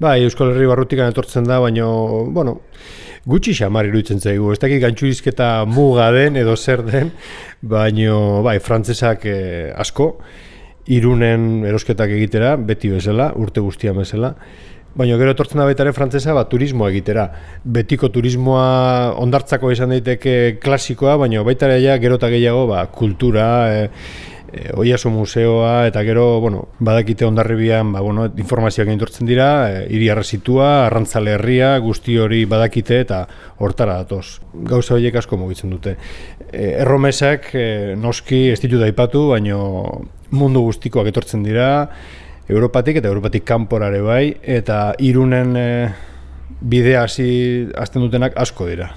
Bai, Euskal Herri barrutikan etortzen da, baina, bueno, gutxi xamar iruditzen zaigu. Ez dakit gantxurizketa muga den edo zer den, baina, bai, frantzesak asko, Irunen erosketak egitera, beti bezala, urte guztian bezala. Baina gero etortzen da baita ere frantzesa turismoa egitera. Betiko turismoa ondartzako izan daiteke klasikoa, baina baita ere ja, gero eta gehiago kultura, Oiaso museoa, eta gero, badakite Hondarribian, informazioak egitortzen dira, hiri arresitua, arrantzale herria, guzti hori badakite eta hortara datoz. Gauza horiek asko mugitzen dute. Erromesak noski ez ditut aipatu, baina mundu guztikoak etortzen dira, Europatik eta Europatik kanporare bai, eta Irunen bidea hasten dutenak asko dira.